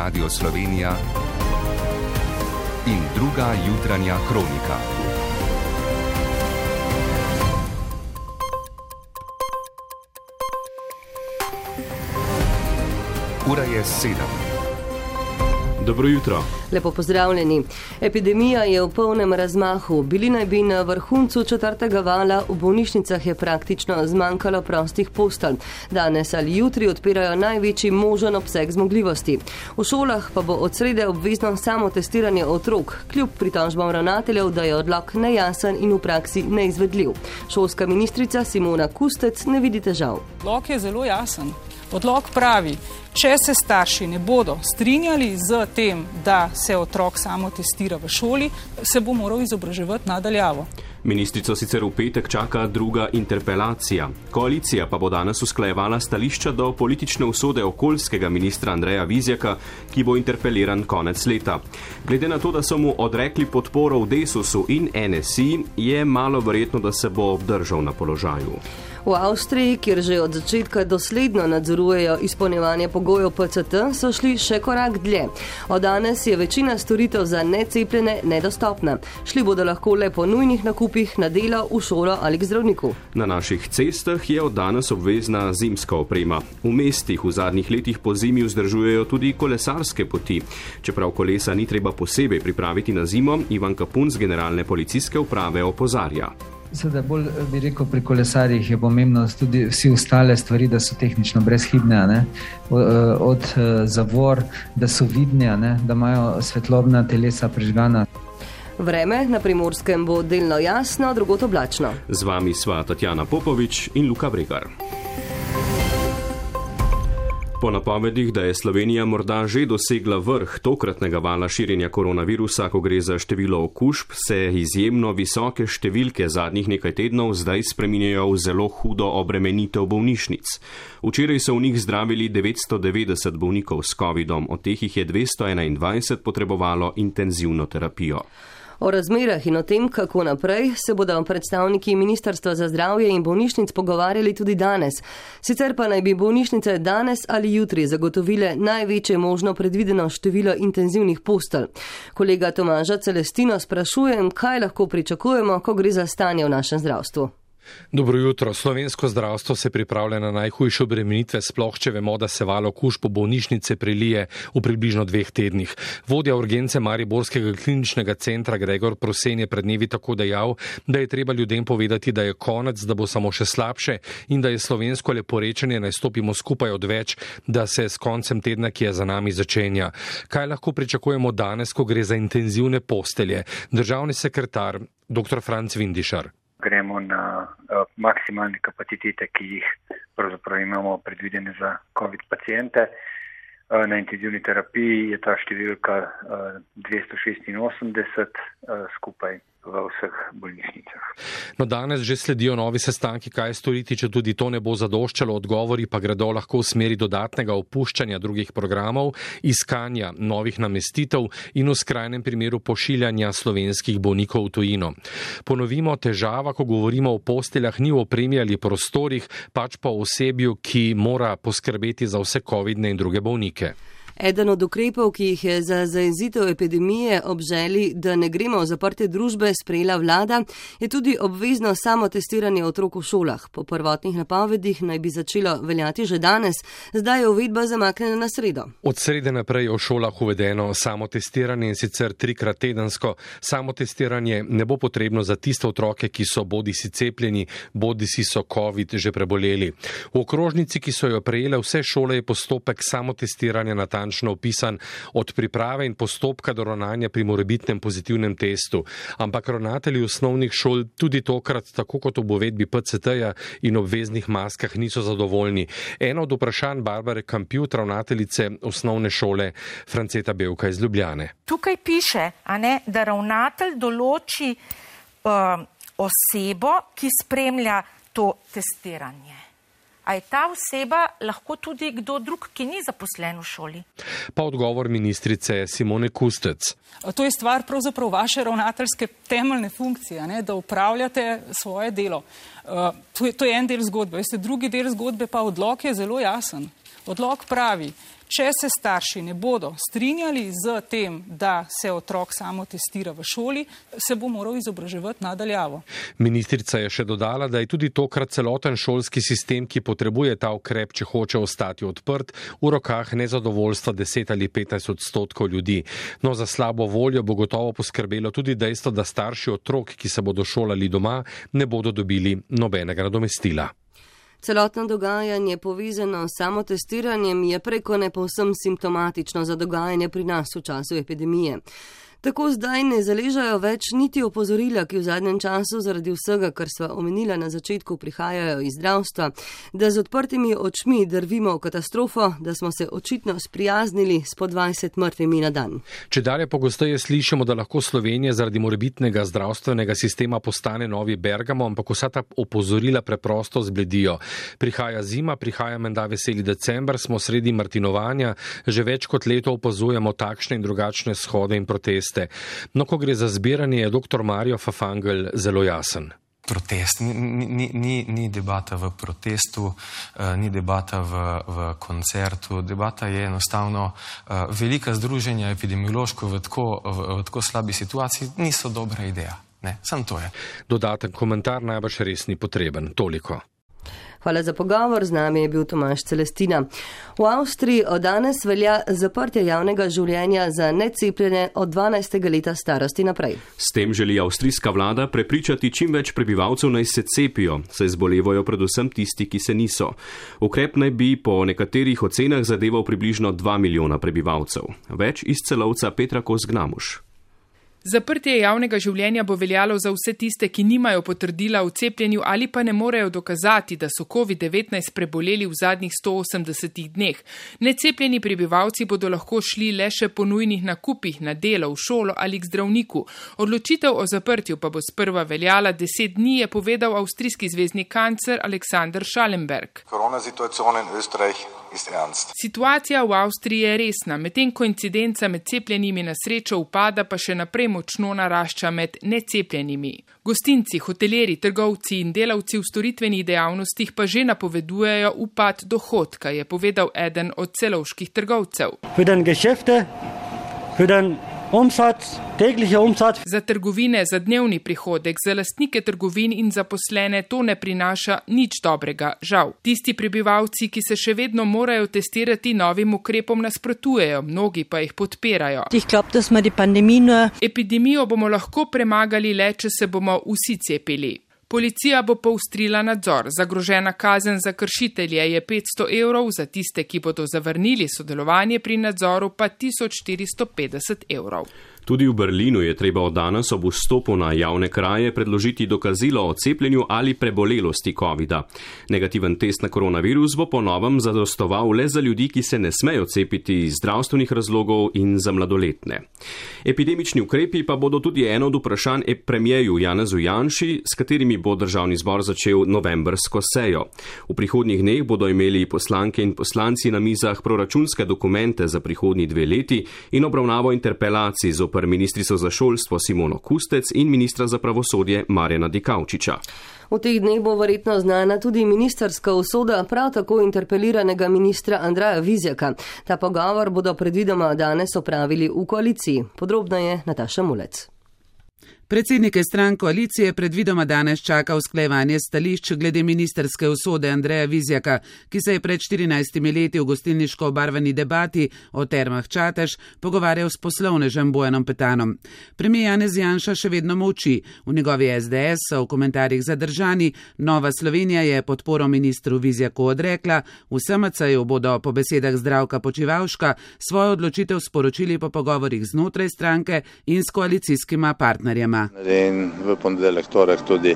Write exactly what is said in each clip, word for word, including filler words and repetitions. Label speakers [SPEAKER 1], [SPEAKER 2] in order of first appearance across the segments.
[SPEAKER 1] Radio Slovenija in druga jutranja kronika. Ura je sedem.
[SPEAKER 2] Dobro jutro.
[SPEAKER 3] Lepo pozdravljeni. Epidemija je v polnem razmahu. Bili naj bi na vrhuncu četrtega vala, v bolnišnicah je praktično zmanjkalo prostih postelj. Danes ali jutri odpirajo največji možen obseg zmogljivosti. V šolah pa bo od srede obvezno samo testiranje otrok, kljub pritožbam ravnateljev, da je odlok nejasen in v praksi neizvedljiv. Šolska ministrica Simona Kustec ne vidi težav.
[SPEAKER 4] Odlok je zelo jasen. Odlok pravi, če se starši ne bodo strinjali z tem, da se otrok samo testira v šoli, se bo moral izobraževati nadaljavo.
[SPEAKER 2] Ministrico sicer v petek čaka druga interpelacija. Koalicija pa bo danes usklajevala stališča do politične usode okoljskega ministra Andreja Vizjaka, ki bo interpeliran konec leta. Glede na to, da so mu odrekli podporo v Desusu in N S I, je malo verjetno, da se bo obdržal na položaju.
[SPEAKER 3] V Avstriji, kjer že od začetka dosledno nadzorujejo izpolnjevanje pogojev P C T, so šli še korak dlje. Od danes je večina storitev za necepljene nedostopna. Šli bodo lahko le po nujnih nakupih, na delo, v šolo ali k zdravniku.
[SPEAKER 2] Na naših cestah je od danes obvezna zimska oprema. V mestih v zadnjih letih po zimi vzdržujejo tudi kolesarske poti. Čeprav kolesa ni treba posebej pripraviti na zimo, Ivan Kapun z generalne policijske uprave opozarja.
[SPEAKER 5] Seveda bolj bi rekel, pri kolesarjih je pomembno tudi vsi ostale stvari, da so tehnično brezhibne, ne? Od zavor, da so vidne, ne? Da imajo svetlobna telesa prižgana.
[SPEAKER 3] Vreme na Primorskem bo delno jasno, drugod oblačno.
[SPEAKER 2] Z vami sva Tatjana Popovič in Luka Bregar. Po napovedih, da je Slovenija morda že dosegla vrh tokratnega vala širjenja koronavirusa, ko gre za število okužb, se izjemno visoke številke zadnjih nekaj tednov zdaj spreminjajo v zelo hudo obremenitev bolnišnic. Včeraj so v njih zdravili devetsto devetdeset bolnikov s covidom, od teh jih je dvesto enaindvajset potrebovalo intenzivno terapijo.
[SPEAKER 3] O razmerah in o tem, kako naprej, se bodo predstavniki Ministrstva za zdravje in bolnišnic pogovarjali tudi danes. Sicer pa naj bi bolnišnice danes ali jutri zagotovile največje možno predvideno število intenzivnih postelj. Kolega Tomaža Celestino sprašujem, kaj lahko pričakujemo, ko gre za stanje v našem zdravstvu.
[SPEAKER 6] Dobro jutro. Slovensko zdravstvo se pripravlja na najhujše obremenitve, sploh če vemo, da se val okužb po bolnišnice prelije v približno dveh tednih. Vodja urgence Mariborskega kliničnega centra Gregor Prosen je pred dnevi tako dejal, da je treba ljudem povedati, da je konec, da bo samo še slabše in da je slovensko leporečenje naj stopimo skupaj odveč, da se s koncem tedna, ki je za nami, začenja. Kaj lahko pričakujemo danes, ko gre za intenzivne postelje? Državni sekretar dr. Franc Vindišar.
[SPEAKER 7] Gremo na uh, maksimalne kapacitete, ki jih pravzaprav imamo predvidene za COVID pacijente. Uh, na intenzivni terapiji je ta številka uh, dvesto šestinosemdeset uh, skupaj v vseh bolnišnicah.
[SPEAKER 6] No, danes že sledijo novi sestanki, kaj storiti, če tudi to ne bo zadoščalo, odgovori pa gredo lahko v smeri dodatnega opuščanja drugih programov, iskanja novih namestitev in v skrajnem primeru pošiljanja slovenskih bolnikov v tujino. Ponovimo, težava, ko govorimo o posteljah, ni v opremi ali prostorih, pač pa o osebju, ki mora poskrbeti za vse covidne in druge bolnike.
[SPEAKER 3] Eden od ukrepov, ki jih je za zajezitev epidemije ob želji, da ne gremo v zaprte družbe, sprejela vlada, je tudi obvezno samotestiranje otrok v šolah. Po prvotnih napovedih naj bi začelo veljati že danes, zdaj je uvedba zamaknjena na sredo.
[SPEAKER 6] Od srede naprej je v šolah uvedeno samotestiranje in sicer trikrat tedensko. Samotestiranje ne bo potrebno za tiste otroke, ki so bodisi cepljeni, bodisi so COVID že preboleli. V okrožnici, ki so jo prejele vse šole, je postopek samotestiranja natančno opisan od priprave in postopka do ravnanja pri morebitnem pozitivnem testu. Ampak ravnatelji osnovnih šol tudi tokrat, tako kot ob uvedbi P C T-ja in obveznih maskah, niso zadovoljni. Eno od vprašanj Barbare Kampjut, ravnateljice osnovne šole Franceta Bevka iz Ljubljane.
[SPEAKER 8] Tukaj piše, a ne, da ravnatelj določi uh, osebo, ki spremlja to testiranje. A je ta oseba lahko tudi kdo drug, ki ni zaposlen v šoli?
[SPEAKER 6] Pa odgovor ministrice Simone Kustec.
[SPEAKER 4] To je stvar pravzaprav vaše ravnateljske temeljne funkcije, ne, da upravljate svoje delo. Uh, to, je, to je en del zgodbe. Veste, drugi del zgodbe pa odlok je zelo jasen. Odlok pravi, Če se starši ne bodo strinjali z tem, da se otrok samo testira v šoli, se bo moral izobraževati nadaljavo.
[SPEAKER 6] Ministrica je še dodala, da je tudi tokrat celoten šolski sistem, ki potrebuje ta ukrep, če hoče ostati odprt, v rokah nezadovoljstva deset ali petnajst odstotkov ljudi. No, za slabo voljo bo gotovo poskrbelo tudi dejstvo, da starši otrok, ki se bodo šolali doma, ne bodo dobili nobenega nadomestila.
[SPEAKER 3] Celotno dogajanje povezano s samotestiranjem je preko ne povsem simptomatično za dogajanje pri nas v času epidemije. Tako zdaj ne zaležajo več niti opozorila, ki v zadnjem času zaradi vsega, kar sva omenila na začetku, prihajajo iz zdravstva, da z odprtimi očmi drvimo v katastrofo, da smo se očitno sprijaznili s po dvajset mrtvimi na dan.
[SPEAKER 6] Če dalje pogosteje slišimo, da lahko Slovenija zaradi morebitnega zdravstvenega sistema postane novi Bergamo, ampak vsa ta opozorila preprosto zbledijo. Prihaja zima, prihaja menda veseli december, smo sredi martinovanja, že več kot leto opazujemo takšne in drugačne shode in proteste. No, ko gre za zbiranje, je doktor Mario Fafangel zelo jasen.
[SPEAKER 9] Protest, ni, ni, ni, ni debata v protestu, uh, ni debata v, v koncertu, debata je enostavno uh, velika združenja epidemiološko v tako, v, v tako slabi situaciji, niso dobra ideja. Ne, samo to je.
[SPEAKER 6] Dodaten komentar najbrž res ni potreben, toliko.
[SPEAKER 3] Hvala za pogovor, z nami je bil Tomaž Celestina. V Avstriji od danes velja zaprtje javnega življenja za necepljene od dvanajstega leta starosti naprej.
[SPEAKER 2] S tem želi avstrijska vlada prepričati čim več prebivalcev naj se cepijo, saj zbolevajo predvsem tisti, ki se niso. Ukrep naj bi po nekaterih ocenah zadeval približno dva milijona prebivalcev. Več iz Celovca Petra Kos-Gnamuš.
[SPEAKER 10] Zaprtje javnega življenja bo veljalo za vse tiste, ki nimajo potrdila o cepljenju ali pa ne morejo dokazati, da so covid devetnajst preboleli v zadnjih sto osemdesetih dneh. Necepljeni prebivalci bodo lahko šli le še po nujnih nakupih na delo, v šolo ali k zdravniku. Odločitev o zaprtju pa bo sprva veljala deset dni, je povedal avstrijski zvezdni kancler Alexander Schallenberg. Situacija v Avstriji je resna, medtem ko incidenca med cepljenimi na srečo upada, pa še naprej močno narašča med necepljenimi. Gostinci, hoteleri, trgovci in delavci v storitvenih dejavnostih pa že napovedujejo upad dohodka, je povedal eden od celovških trgovcev. Umsatz, täglicher Umsatz. Za trgovine, za dnevni prihodek, za lastnike trgovin in zaposlene to ne prinaša nič dobrega, žal. Tisti prebivalci, ki se še vedno morajo testirati, novim ukrepom nasprotujejo, mnogi pa jih podpirajo. Epidemijo bomo lahko premagali le, če se bomo vsi cepili. Policija bo poostrila nadzor. Zagrožena kazen za kršitelje je petsto evrov, za tiste, ki bodo zavrnili sodelovanje pri nadzoru, pa tisoč štiristo petdeset evrov.
[SPEAKER 2] Tudi v Berlinu je treba od danes ob vstopu na javne kraje predložiti dokazilo o cepljenju ali prebolelosti covida. Negativen test na koronavirus bo po novem zadostoval le za ljudi, ki se ne smejo cepiti iz zdravstvenih razlogov in za mladoletne. Epidemični ukrepi pa bodo tudi eno od vprašanj premierju Janezu Janši, s katerimi bo državni zbor začel novembrsko sejo. V prihodnjih dneh bodo imeli poslanke in poslanci na mizah proračunske dokumente za prihodnji dve leti in obravnavo interpelacij zoper ministrico za šolstvo Simono Kustec in ministra za pravosodje Marjana Dikaučiča.
[SPEAKER 3] V teh dneh bo verjetno znana tudi ministrska usoda prav tako interpeliranega ministra Andreja Vizjaka. Ta pogovor bodo predvidoma danes opravili v koaliciji. Podrobno je Nataša Mulec.
[SPEAKER 11] Predsednike strank koalicije predvidoma danes čaka usklajevanje stališč glede ministerske usode Andreja Vizjaka, ki se je pred štirinajstimi leti v gostilniško obarvani debati o termah Čatež pogovarjal s poslovnežem Bojanom Petanom. Premijer Janez Janša še vedno molči. V njegovi S D S so v komentarjih zadržani. Nova Slovenija je podporo ministru Vizjaku odrekla. V S M C-ju bodo po besedah Zdravka Počivalška svojo odločitev sporočili po pogovorih znotraj stranke in s koalicijskima partnerjema.
[SPEAKER 12] In v ponedeljek, torek tudi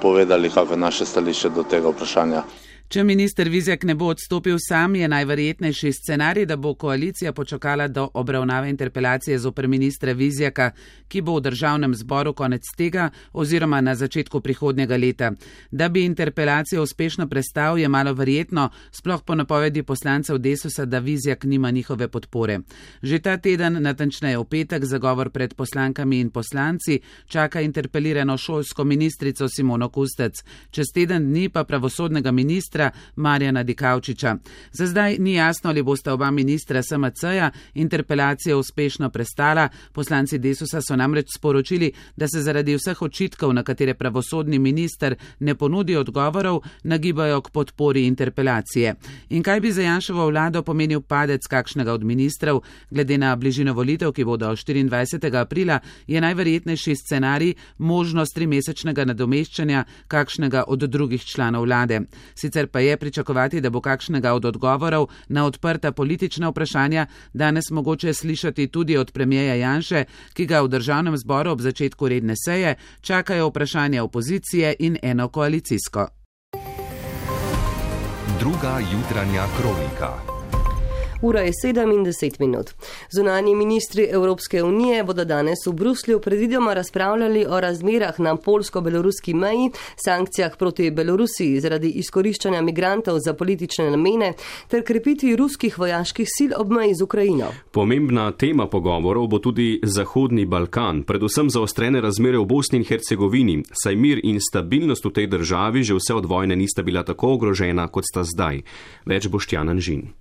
[SPEAKER 12] povedali, kako je naše stališče do tega vprašanja.
[SPEAKER 11] Če minister Vizjak ne bo odstopil sam, je najverjetnejši scenarij, da bo koalicija počakala do obravnave interpelacije zoper ministra Vizjaka, ki bo v državnem zboru konec tega oziroma na začetku prihodnjega leta. Da bi interpelacijo uspešno prestal, je malo verjetno, sploh po napovedi poslancev Desusa, da Vizjak nima njihove podpore. Že ta teden, natančneje v petek, zagovor pred poslankami in poslanci čaka interpelirano šolsko ministrico Simono Kustec. Čez teden dni pa pravosodnega ministra ministra Marjana Dikaučiča. Za zdaj ni jasno, ali bosta oba ministra S M C-ja interpelacijo uspešno prestala. Poslanci Desusa so namreč sporočili, da se zaradi vseh očitkov, na katere pravosodni minister ne ponudi odgovorov, nagibajo k podpori interpelacije. In kaj bi za Janševo vlado pomenil padec kakšnega od ministrov? Glede na bližino volitev, ki bodo štiriindvajsetega aprila, je najverjetnejši scenarij možnost trimesečnega nadomeščanja kakšnega od drugih članov vlade. Sicer pa je pričakovati, da bo kakšnega od odgovorov na odprta politična vprašanja danes mogoče slišati tudi od premierja Janše, ki ga v državnem zboru ob začetku redne seje čakajo vprašanja opozicije in eno koalicijsko.
[SPEAKER 1] Druga jutranja kronika.
[SPEAKER 3] Ura je sedem in deset minut. Zunanji ministri Evropske unije bodo danes v Bruslju predvidoma razpravljali o razmerah na polsko-beloruski meji, sankcijah proti Belorusiji zaradi izkoriščanja migrantov za politične namene ter krepitvi ruskih vojaških sil ob meji z Ukrajino.
[SPEAKER 2] Pomembna tema pogovorov bo tudi Zahodni Balkan, predvsem zaostrene razmere v Bosni in Hercegovini, saj mir in stabilnost v tej državi že vse od vojne nista bila tako ogrožena, kot sta zdaj. Več Boštjan Anžin.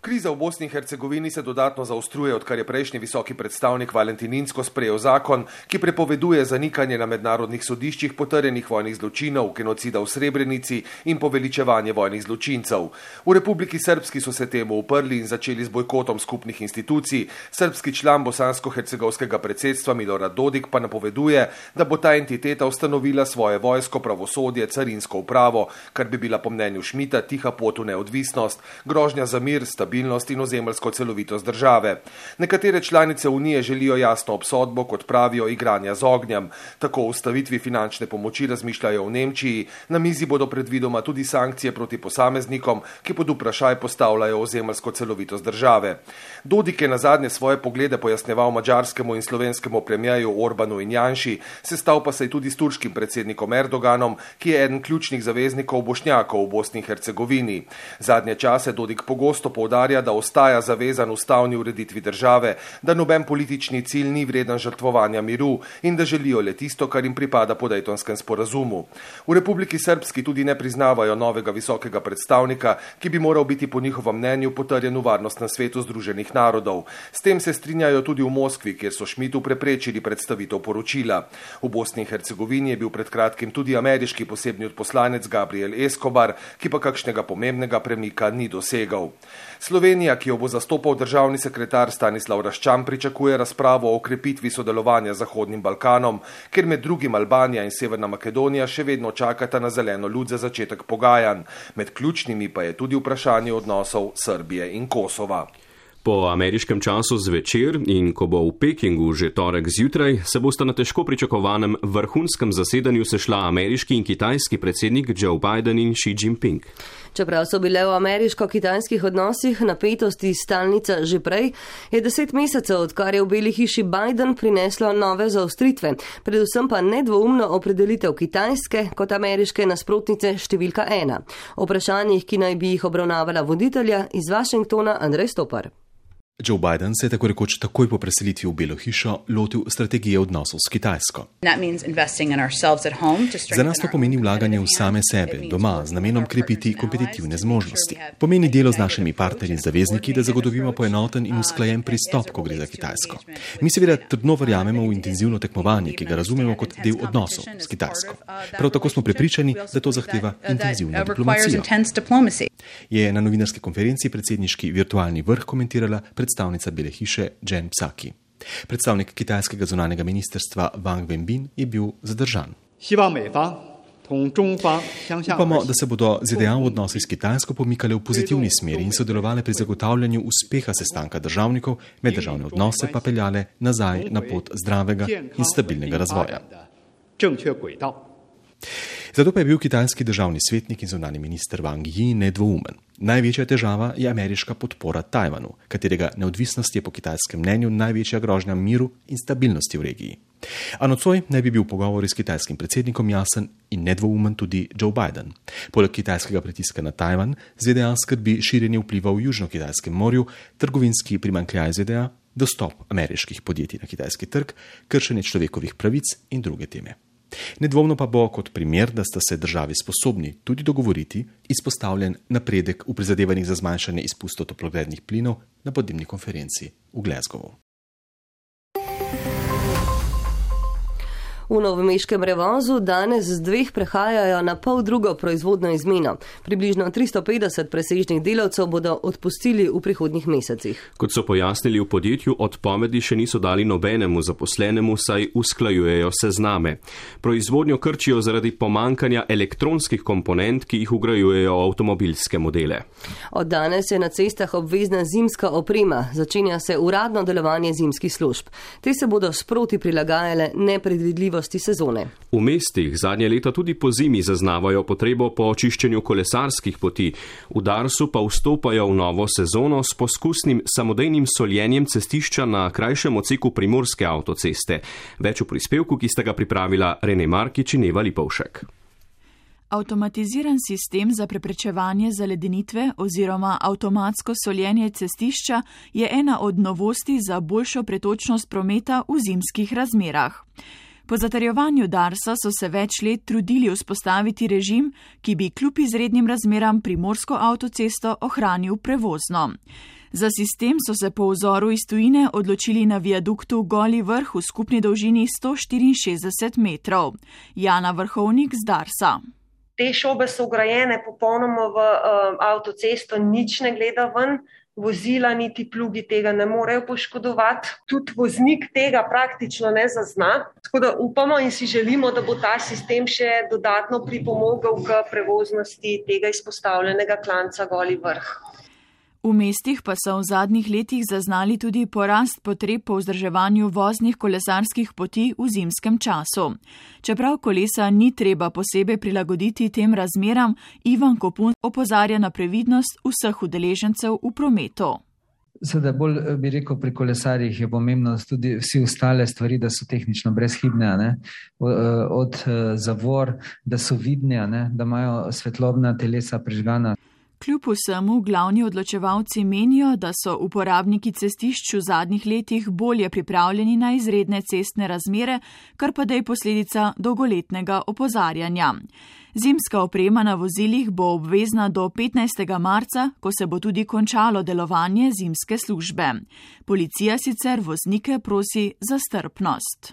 [SPEAKER 13] Kriza v Bosni in Hercegovini se dodatno zaostruje, odkar je prejšnji visoki predstavnik Valentin Inzko sprejel zakon, ki prepoveduje zanikanje na mednarodnih sodiščih potrjenih vojnih zločinov, genocida v Srebrenici in poveličevanje vojnih zločincev. V Republiki Srpski so se temu uprli in začeli z bojkotom skupnih institucij. Srpski član bosansko-hercegovskega predsedstva Milorad Dodik pa napoveduje, da bo ta entiteta ustanovila svoje vojsko, pravosodje, carinsko upravo, kar bi bila po mnenju Šmita tiha pot v neodvisnost, grožnja za mir, stabilnost in ozemeljsko celovitost države. Nekatere članice Unije želijo jasno obsodbo, kot pravijo, igranja z ognjem. Tako o ustavitvi finančne pomoči razmišljajo v Nemčiji, na mizi bodo predvidoma tudi sankcije proti posameznikom, ki pod vprašaj postavljajo ozemeljsko celovitost države. Dodik je nazadnje svoje poglede pojasneval madžarskemu in slovenskemu premierju Orbanu in Janši, sestal pa se je tudi s turškim predsednikom Erdoganom, ki je eden ključnih zaveznikov Bošnjakov v Bosni in Hercegovini. Zadnje čase Dodik pogosto poudarja, da ostaja zavezan ustavni ureditvi države, da noben politični cilj ni vreden žrtvovanja miru in da želijo le tisto, kar jim pripada po Dejtonskem sporazumu. V Republiki Srpski tudi ne priznavajo novega visokega predstavnika, ki bi moral biti po njihovem mnenju potrjen v Varnostnem svetu Združenih narodov. S tem se strinjajo tudi v Moskvi, kjer so Šmitu preprečili predstavitev poročila. V Bosni in Hercegovini je bil pred kratkim tudi ameriški posebni odposlanec Gabriel Escobar, ki pa kakšnega pomembnega premika ni dosegal. Slovenija, ki jo bo zastopal državni sekretar Stanislav Raščan, pričakuje razpravo o okrepitvi sodelovanja z Zahodnim Balkanom, ker med drugim Albanija in Severna Makedonija še vedno čakata na zeleno luč za začetek pogajanj. Med ključnimi pa je tudi vprašanje odnosov Srbije in Kosova.
[SPEAKER 2] Po ameriškem času zvečer in ko bo v Pekingu že torek zjutraj, se bosta na težko pričakovanem vrhunskem zasedanju sešla ameriški in kitajski predsednik Joe Biden in Xi Jinping.
[SPEAKER 3] Čeprav so bile v ameriško-kitajskih odnosih napetosti stalnica že prej, je deset mesecev, odkar je v Beli hiši Biden, prineslo nove zaostritve, predvsem pa nedvoumno opredelitev Kitajske kot ameriške nasprotnice številka ena. O vprašanjih, ki naj bi jih obravnavala voditelja, iz Washingtona Andrej Stopar.
[SPEAKER 14] Joe Biden se je tako rekoč takoj po preselitvi v Belo hišo lotil strategije odnosov s Kitajsko. Za nas to pomeni vlaganje v same sebe, doma, z namenom krepiti kompetitivne zmožnosti. Pomeni delo z našimi partnerji in zavezniki, da zagotovimo poenoten in usklajen pristop, ko gre za Kitajsko. Mi seveda trdno verjamemo v intenzivno tekmovanje, ki ga razumemo kot del odnosov s Kitajsko. Prav tako smo prepričani, da to zahteva intenzivno diplomacijo. Je na novinarski konferenci predsedniški virtualni vrh komentirala predstavnica Bele hiše Jen Psaki. Predstavnik kitajskega zunanjega ministrstva Wang Wenbin je bil zadržan. Upamo, da se bodo Z D A v odnosi s Kitajsko pomikale v pozitivni smeri in sodelovale pri zagotavljanju uspeha sestanka državnikov, meddržavne odnose pa peljale nazaj na pot zdravega in stabilnega razvoja. Zato pa je bil kitajski državni svetnik in zunanji minister Wang Yi nedvoumen. Največja težava je ameriška podpora Tajvanu, katerega neodvisnost je po kitajskem mnenju največja grožnja miru in stabilnosti v regiji. A nocoj naj bi bil pogovor s kitajskim predsednikom jasen in nedvoumen tudi Joe Biden. Poleg kitajskega pritiska na Tajvan, Z D A skrbi širjenje vpliva v Južno-Kitajskem morju, trgovinski primanjkljaj Z D A, dostop ameriških podjetij na kitajski trg, kršenje človekovih pravic in druge teme. Nedvomno pa bo kot primer, da sta se državi sposobni tudi dogovoriti, izpostavljen napredek v prizadevanjih za zmanjšanje izpustov toplogrednih plinov na podnebni konferenci v Glasgowu.
[SPEAKER 3] V novomeškem Revozu danes z dveh prehajajo na pol drugo proizvodno izmeno. Približno tristo petdeset presežnih delavcev bodo odpustili v prihodnjih mesecih.
[SPEAKER 2] Kot so pojasnili v podjetju, odpovedi še niso dali nobenemu zaposlenemu, saj usklajujejo sezname. Proizvodnjo krčijo zaradi pomankanja elektronskih komponent, ki jih vgrajujejo v avtomobilske modele.
[SPEAKER 3] Od danes je na cestah obvezna zimska oprema. Začenja se uradno delovanje zimskih služb. Te se bodo sproti prilagajale nepredvidljivo sezone.
[SPEAKER 2] V mestih zadnje leta tudi po zimi zaznavajo potrebo po očiščenju kolesarskih poti. V Darsu pa vstopajo v novo sezono s poskusnim samodejnim soljenjem cestišča na krajšem odseku primorske avtoceste. Več v prispevku, ki sta ga pripravila Rene Markič in Eva Lipovšek.
[SPEAKER 15] Avtomatiziran sistem za preprečevanje zaledenitve oziroma avtomatsko soljenje cestišča je ena od novosti za boljšo pretočnost prometa v zimskih razmerah. Po zatrjevanju Darsa so se več let trudili vzpostaviti režim, ki bi kljub izrednim razmeram primorsko avtocesto ohranil prevozno. Za sistem so se po vzoru iz tujine odločili na viaduktu Goli vrh v skupni dolžini sto štiriinšestdeset metrov. Jana Vrhovnik z Darsa.
[SPEAKER 16] Te šobe so ugrajene popolnoma v uh, avtocesto, nič ne gleda ven. Vozila niti plugi tega ne morejo poškodovati. Tudi voznik tega praktično ne zazna. Tako da upamo in si želimo, da bo ta sistem še dodatno pripomogel k prevoznosti tega izpostavljenega klanca Goli vrh.
[SPEAKER 15] V mestih pa so v zadnjih letih zaznali tudi porast potreb po vzdrževanju voznih kolesarskih poti v zimskem času. Čeprav kolesa ni treba posebej prilagoditi tem razmeram, Ivan Kopun opozarja na previdnost vseh udeležencev v prometu.
[SPEAKER 5] Seveda bolj bi rekel, pri kolesarjih je pomembno tudi vsi ostale stvari, da so tehnično brezhibne, ne? Od zavor, da so vidne, ne? Da imajo svetlobna telesa prižgana.
[SPEAKER 15] Kljub vsemu glavni odločevalci menijo, da so uporabniki cestišč v zadnjih letih bolje pripravljeni na izredne cestne razmere, kar pa da je posledica dolgoletnega opozarjanja. Zimska oprema na vozilih bo obvezna do petnajstega marca, ko se bo tudi končalo delovanje zimske službe. Policija sicer voznike prosi za strpnost.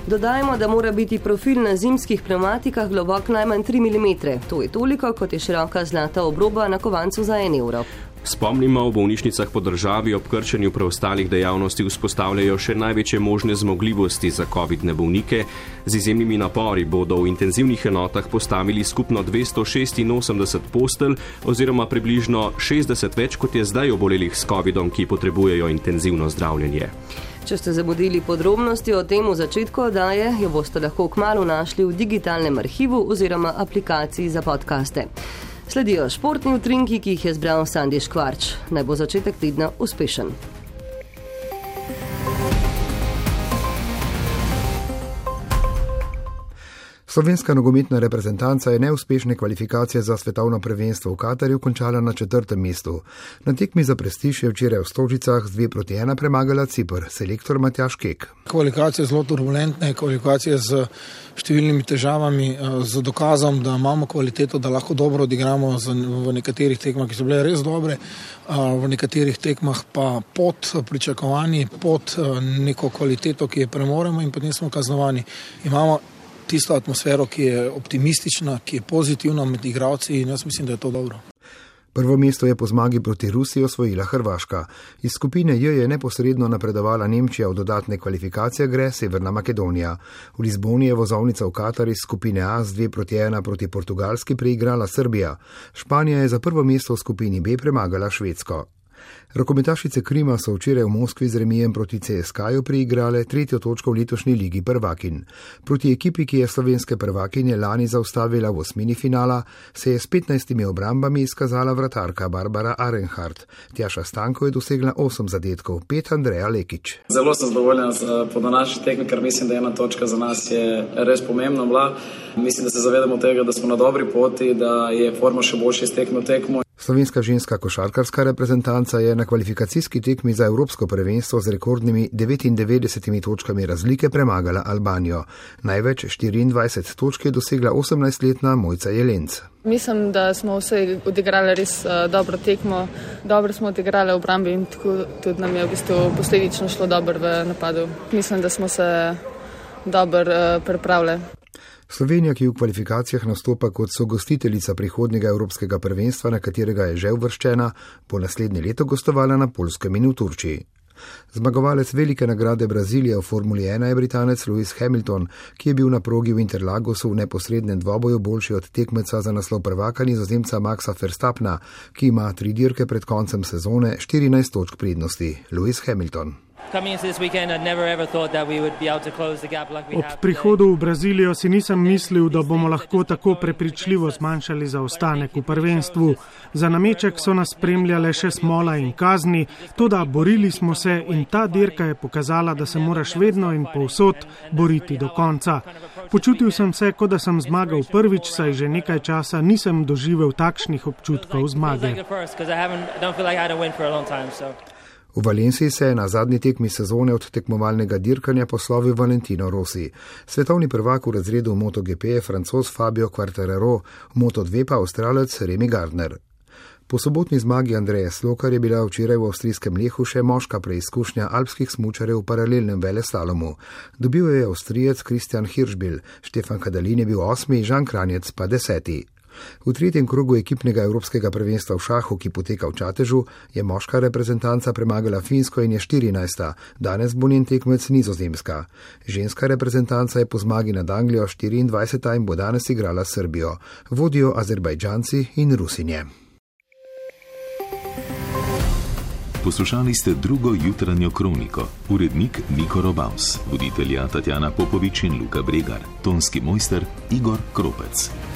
[SPEAKER 3] Dodajmo, da mora biti profil na zimskih pnevmatikah globok najmanj tri milimetre. To je toliko, kot je široka zlata obroba na kovancu za en evro.
[SPEAKER 2] Spomnimo, v bolnišnicah po državi ob krčenju preostalih dejavnosti vzpostavljajo še največje možne zmogljivosti za covidne bolnike. Z izjemnimi napori bodo v intenzivnih enotah postavili skupno dvesto šestinosemdeset postelj oziroma približno šestdeset več, kot je zdaj obolelih s covidom, ki potrebujejo intenzivno zdravljenje.
[SPEAKER 3] Če ste zamudili podrobnosti o tem v začetku oddaje, jo boste lahko kmalu našli v digitalnem arhivu oziroma aplikaciji za podcaste. Sledijo športni utrinki, ki jih je zbral Sandi Škvarč. Naj bo začetek tedna uspešen.
[SPEAKER 17] Slovenska nogometna reprezentanca je neuspešne kvalifikacije za svetovno prvenstvo v Katarju končala na četrtem mestu. Na tekmi za prestiž je včeraj v Stožicah z dve proti ena premagala Cipr, selektor Matjaž Kek.
[SPEAKER 18] Kvalifikacije zelo turbulentne, kvalifikacije z številnimi težavami, z dokazom, da imamo kvaliteto, da lahko dobro odigramo v nekaterih tekmah, ki so bile res dobre, v nekaterih tekmah pa pod pričakovanji, pod neko kvaliteto, ki je premoremo in potem smo kaznovani. Imamo tisto atmosfero, ki je optimistična, ki je pozitivna med igralci in jaz mislim, da je to dobro.
[SPEAKER 17] Prvo mesto je po zmagi proti Rusiji osvojila Hrvaška. Iz skupine J je neposredno napredovala Nemčija, v dodatne kvalifikacije gre Severna Makedonija. V Lizboni je vozovnica v Katar iz skupine A z dve proti ena proti Portugalski preigrala Srbija. Španija je za prvo mesto v skupini B premagala Švedsko. Rokometašice Krima so včeraj v Moskvi z remijem proti C S K-ju priigrale tretjo točko v letošnji ligi prvakin. Proti ekipi, ki je slovenske prvakinje lani zaustavila v osmini finala, se je s petnajstimi obrambami izkazala vratarka Barbara Arenhart. Tjaša Stanko je dosegla osem zadetkov, pet Andreja Lekić.
[SPEAKER 19] Zelo sem zadovoljen po današnji tekmi, ker mislim, da ena točka za nas je res pomembna bila. Mislim, da se zavedamo tega, da smo na dobri poti, da je forma še boljša iz tekme v tekmo.
[SPEAKER 17] Slovenska ženska košarkarska reprezentanca je na kvalifikacijski tekmi za evropsko prvenstvo z rekordnimi devetindevetdesetimi točkami razlike premagala Albanijo. Največ štiriindvajset točk je dosegla osemnajstletna Mojca Jelenc.
[SPEAKER 20] Mislim, da smo vse odigrali res uh, dobro tekmo, dobro smo odigrali v obrambi in tako tudi nam je v bistvu posledično šlo dobro v napadu. Mislim, da smo se dobro uh, pripravili.
[SPEAKER 17] Slovenija, ki v kvalifikacijah nastopa kot sogostiteljica prihodnjega evropskega prvenstva, na katerega je že uvrščena, bo naslednje leto gostovala na Poljskem in v Turčiji. Zmagovalec velike nagrade Brazilije v Formuli ena je Britanec Lewis Hamilton, ki je bil na progi v Interlagosu v neposrednem dvoboju boljši od tekmeca za naslov prvaka Nizozemca Maxa Verstappna, ki ima tri dirke pred koncem sezone štirinajst točk prednosti. Lewis Hamilton.
[SPEAKER 21] Ob prihodu v Brazilijo si nisem mislil, da bomo lahko tako prepričljivo zmanjšali zaostanek v prvenstvu. Za nameček so nas spremljale še smola in kazni, toda borili smo se in ta dirka je pokazala, da se moraš vedno in povsod boriti do konca. Počutil sem se, kot da sem zmagal prvič, saj že nekaj časa nisem doživel takšnih občutkov zmage.
[SPEAKER 17] V Valenciji se je na zadnji tekmi sezone od tekmovalnega dirkanja poslovil Valentino Rossi. Svetovni prvak v razredu MotoGP je Francoz Fabio Quartararo, v Moto dve pa Avstralec Remy Gardner. Po sobotni zmagi Andreja Slokar je bila včeraj v avstrijskem Lehu še moška preizkušnja alpskih smučarjev v paralelnem veleslalomu. Dobil je Avstrijec Christian Hirschbill, Štefan Kadalin je bil osmi, Žan Kranjec pa deseti. V tretjem krogu ekipnega evropskega prvenstva v šahu, ki poteka v Čatežu, je moška reprezentanca premagala Finsko in je štirinajsta, danes bo njen tekmec Nizozemska. Ženska reprezentanca je po zmagi nad Anglijo štiriindvajseta in bo danes igrala s Srbijo. Vodijo Azerbajdžanci in Rusinje.
[SPEAKER 22] Poslušali ste drugo jutranjo kroniko. Urednik Niko Robavs, voditelja Tatjana Popovič in Luka Bregar, tonski mojster Igor Kropec.